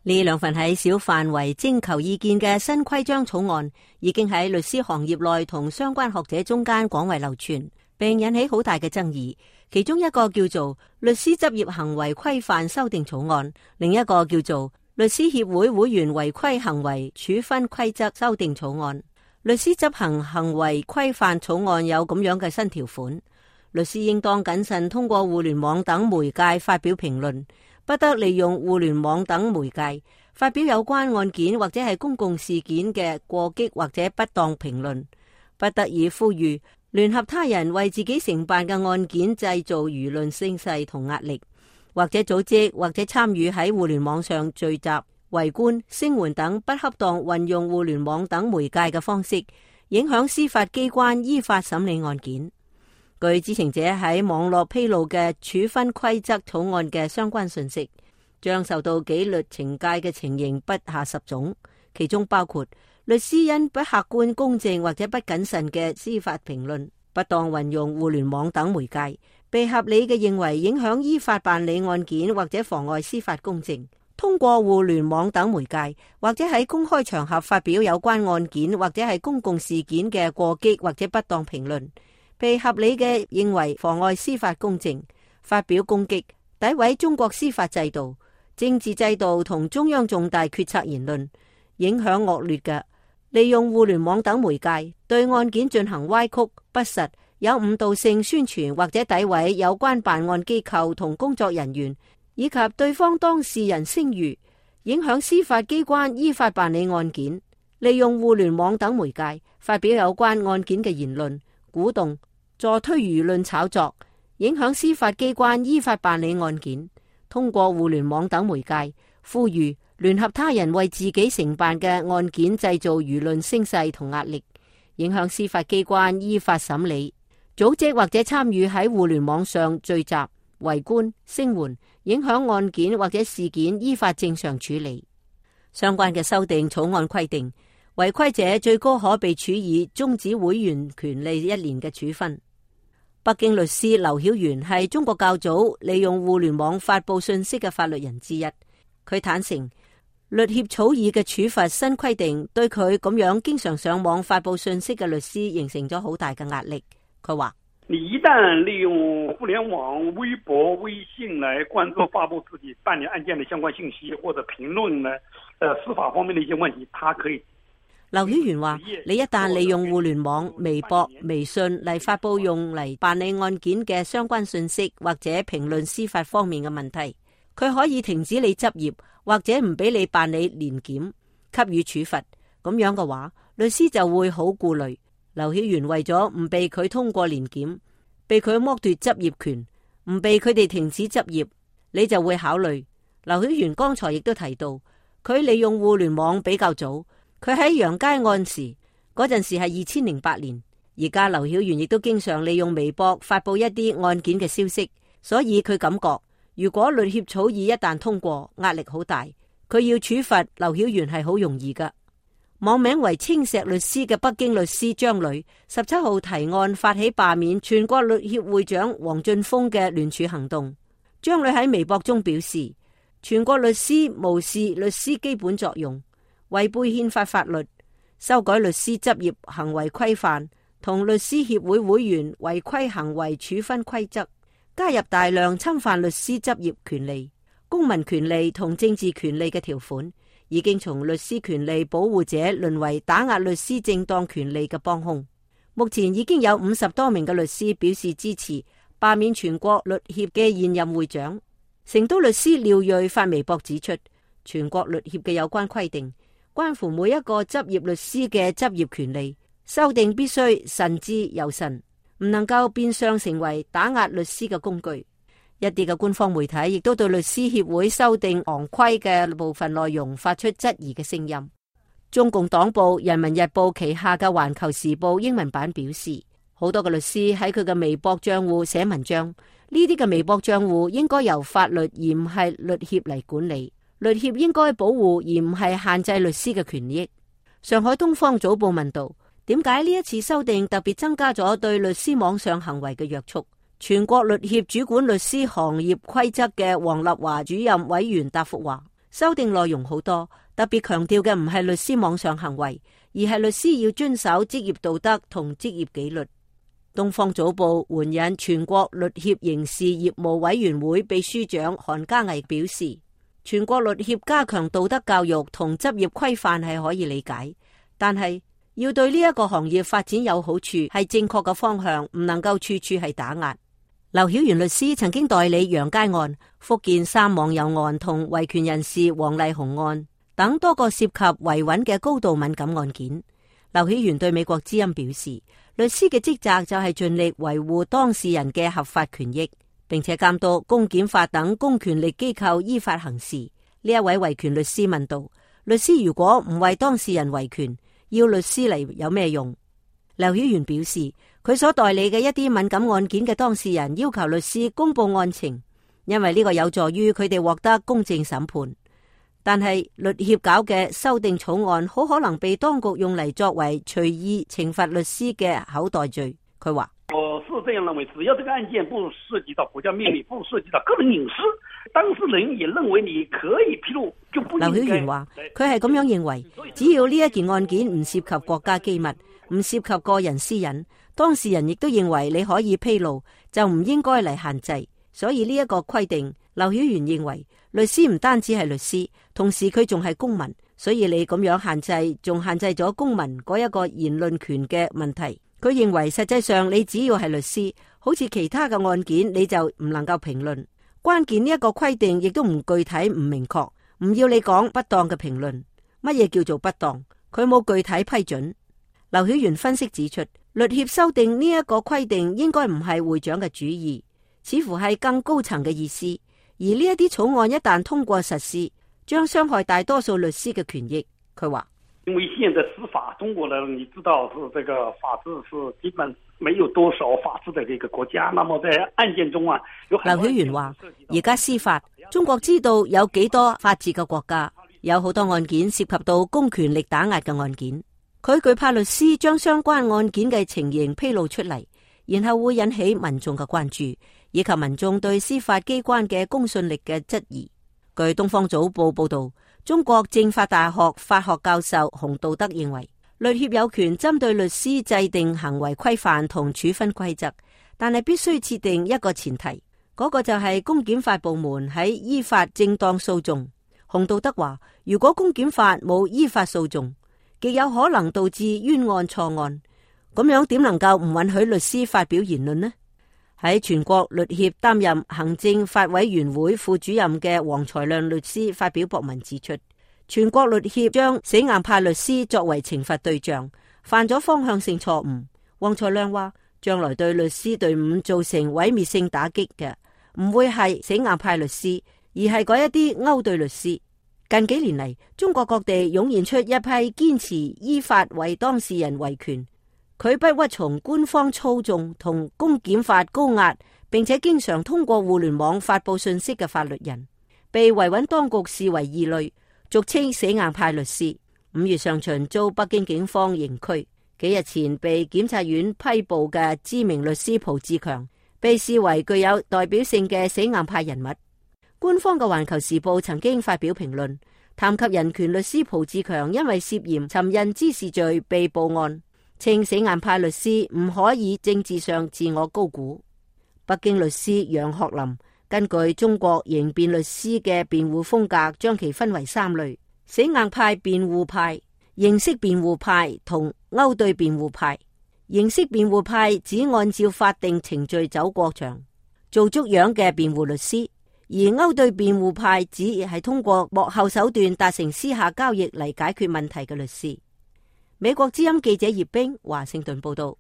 呢兩份喺小範圍徵求意見嘅新規章草案，已經喺律師行業內同相關學者中間廣為流傳，並引起好大嘅爭議。其中一個叫做《律師執業行為規範修訂草案》，另一個叫做《律師協會會員違規行為處分規則修訂草案》。律師執行行為規範草案有咁樣嘅新條款：律師應當謹慎通過互聯網等媒介發表評論，不得利用互聯網等媒介發表有關案件或者係公共事件嘅過激或者不當評論，不得以呼籲、聯合他人為自己承辦嘅案件製造輿論聲勢同壓力，或者組織或者參與喺互聯網上聚集、圍觀、聲援等不恰當運用互聯網等媒介嘅方式，影響司法機關依法審理案件。據知情者喺網絡披露嘅處分規則草案嘅相關信息，將受到紀律懲戒嘅情形不下10種，其中包括律師因不客觀公正或者不謹慎嘅司法評論，不當運用互聯網等媒介，被合理嘅認為影響依法辦理案件或者妨礙司法公正，通過互聯網等媒介或者喺公開場合發表有關案件或者係公共事件嘅過激或者不當評論，被合理嘅認為妨礙司法公正，發表攻擊、詆毀中國司法制度、政治制度同中央重大決策言論，影響惡劣嘅，利用互聯網等媒介對案件進行歪曲、不實、有誤導性宣傳或者詆毀有關辦案機構同工作人員以及對方當事人聲譽，影響司法機關依法辦理案件，利用互聯網等媒介發表有關案件嘅言論，鼓動、助推輿論炒作，影響司法機關依法辦理案件，通過互聯網等媒介呼籲、聯合他人為自己承辦嘅案件製造輿論聲勢同壓力，影響司法機關依法審理，組織或者參與喺互聯網上聚集、圍觀、聲援，影響案件或者事件依法正常處理。相關嘅修訂草案規定，違規者最高可被處以終止會員權利1年嘅處分。北京律師劉曉元係中國較早利用互聯網發布信息嘅法律人之一。佢坦承，律協草擬嘅處罰新規定對佢咁樣經常上網發布信息嘅律師形成咗好大嘅壓力。佢話：你一旦利用互聯網、微博、微信來關注發布自己辦理案件的相關信息或者評論呢，司法方面的一些問題，他可以。劉曉元話：你一旦利用互聯網、微博、微信嚟發布用嚟辦理案件嘅相關信息或者評論司法方面嘅問題，佢可以停止你執業或者唔俾你辦理年檢，給予處罰。咁樣嘅話，律師就會好顧慮。劉曉元為咗唔被佢通過年檢，被佢剝奪執業權，唔被佢哋停止執業，你就會考慮。劉曉元剛才亦都提到，佢利用互聯網比較早。佢喺楊佳案時嗰陣時係2008年，而家劉曉元亦都經常利用微博發布一啲案件嘅消息，所以佢感覺如果律協草擬一旦通過，壓力好大，佢要處罰劉曉元係好容易噶。網名為青石律師嘅北京律師張磊17號提案發起罷免全國律協會長王俊峰嘅聯署行動。張磊喺微博中表示，全國律師無視律師基本作用，違背憲法法律，修改律師執業行為規範同律師協會會員違規行為處分規則，加入大量侵犯律師執業權利、公民權利同政治權利嘅條款，已經從律師權利保護者淪為打壓律師正當權利嘅幫兇。目前已經有50多名嘅律師表示支持罷免全國律協嘅現任會長。成都律師廖瑞發微博指出，全國律協嘅有關規定關乎每一個執業律師嘅執業權利，修訂必須慎之又慎，唔能夠變相成為打壓律師嘅工具。一啲嘅官方媒體亦都對律師協會修訂行規嘅部分內容發出質疑嘅聲音。中共黨報《人民日報》旗下嘅《環球時報》英文版表示，好多嘅律師喺佢嘅微博賬戶寫文章，呢啲嘅微博賬戶應該由法律而唔係律協嚟管理，律協應該保護而唔係限制律師嘅權益。上海東方早報問道，點解呢一次修訂特別增加咗對律師網上行為嘅約束？全國律協主管律師行業規則嘅黃立華主任委員答覆話，修訂內容好多，特別強調嘅唔係律師網上行為，而係律師要遵守職業道德同職業紀律。東方早報援引全國律協刑事業務委員會秘書長韓家毅表示，全國律協加強道德教育同執業規範係可以理解，但係要對呢一個行業發展有好處係正確嘅方向，唔能夠處處係打壓。劉曉元律師曾經代理楊佳案、福建3網友案同維權人士黃麗紅案等多個涉及維穩嘅高度敏感案件。劉曉元對美國之音表示，律師嘅職責就係盡力維護當事人嘅合法權益，並且監督公檢法等公權力機構依法行事。呢一位維權律師問道，律師如果唔為當事人維權，要律師嚟有咩用？劉曉元表示，佢所代理嘅一啲敏感案件嘅當事人要求律師公布案情，因為呢個有助於佢哋獲得公正審判。但係律協搞嘅修訂草案好可能被當局用嚟作為隨意懲罰律師嘅口袋罪。佢話：我是這樣認為，只要這個案件不涉及到國家秘密，不涉及到個人隱私，當事人也認為你可以披露，就不應該。劉曉元話：佢係咁樣認為，只要呢一件案件唔涉及國家機密，唔涉及個人私隱，當事人亦都認為你可以披露，就唔應該嚟限制。所以呢一個規定，劉曉元認為律師唔單止係律師，同時佢仲係公民，所以你咁樣限制，仲限制咗公民嗰一個言論權嘅問題。佢認為實際上你只要係律師，好似其他嘅案件，你就唔能夠評論。關鍵呢一個規定亦都唔具體、唔明確，唔要你講不當嘅評論。乜嘢叫做不當？佢冇具體批准。劉曉元分析指出，律協修訂呢一個規定應該唔係會長嘅主意，似乎係更高層嘅意思。而呢一啲草案一旦通過實施，將傷害大多數律師嘅權益。佢話：因為現在司法，中國呢，你知道是這個法治是基本沒有多少法治的這個國家。那麼在案件中啊，有劉曉元話：而家司法，中國知道有幾多法治嘅國家，有好多案件涉及到公權力打壓嘅案件。佢懼怕律師將相關案件嘅情形披露出嚟，然後會引起民眾嘅關注，以及民眾對司法機關嘅公信力嘅質疑。據東方早報報道，中國政法大學法學教授洪道德認為，律協有權針對律師制定行為規範同處分規則，但係必須設定一個前提，嗰個就係公檢法部門喺依法正當訴訟。洪道德話，如果公檢法冇依法訴訟，極有可能導致冤案錯案，咁樣點能夠唔允許律師發表言論呢？喺全國律協擔任行政法委員會副主任嘅黃才亮律師發表博文指出，全國律協將死硬派律師作為懲罰對象，犯咗方向性錯誤。黃才亮話，將來對律師隊伍造成毀滅性打擊嘅，唔會係死硬派律師，而係嗰一啲勾兌律師。近幾年嚟，中國各地湧現出一批堅持依法為當事人維權，佢不屈從官方操縱同公檢法高壓，並且經常通過互聯網發佈信息嘅法律人，被維穩當局視為異類，俗稱死硬派律師。5月上旬遭北京警方刑拘，幾日前被檢察院批捕嘅知名律師蒲志強，被視為具有代表性嘅死硬派人物。官方嘅《環球時報》曾經發表評論，談及人權律師蒲志強因為涉嫌尋釁滋事罪被捕案，稱死硬派律師唔可以政治上自我高估。北京律師楊學林根據中國刑辯律師嘅辯護風格，將其分為3類：死硬派辯護派、形式辯護派同勾兌辯護派。形式辯護派只按照法定程序走過場，做足樣嘅辯護律師。而勾兌辯護派只係通過幕後手段達成私下交易嚟解決問題嘅律師。美國之音記者葉冰華盛頓報道。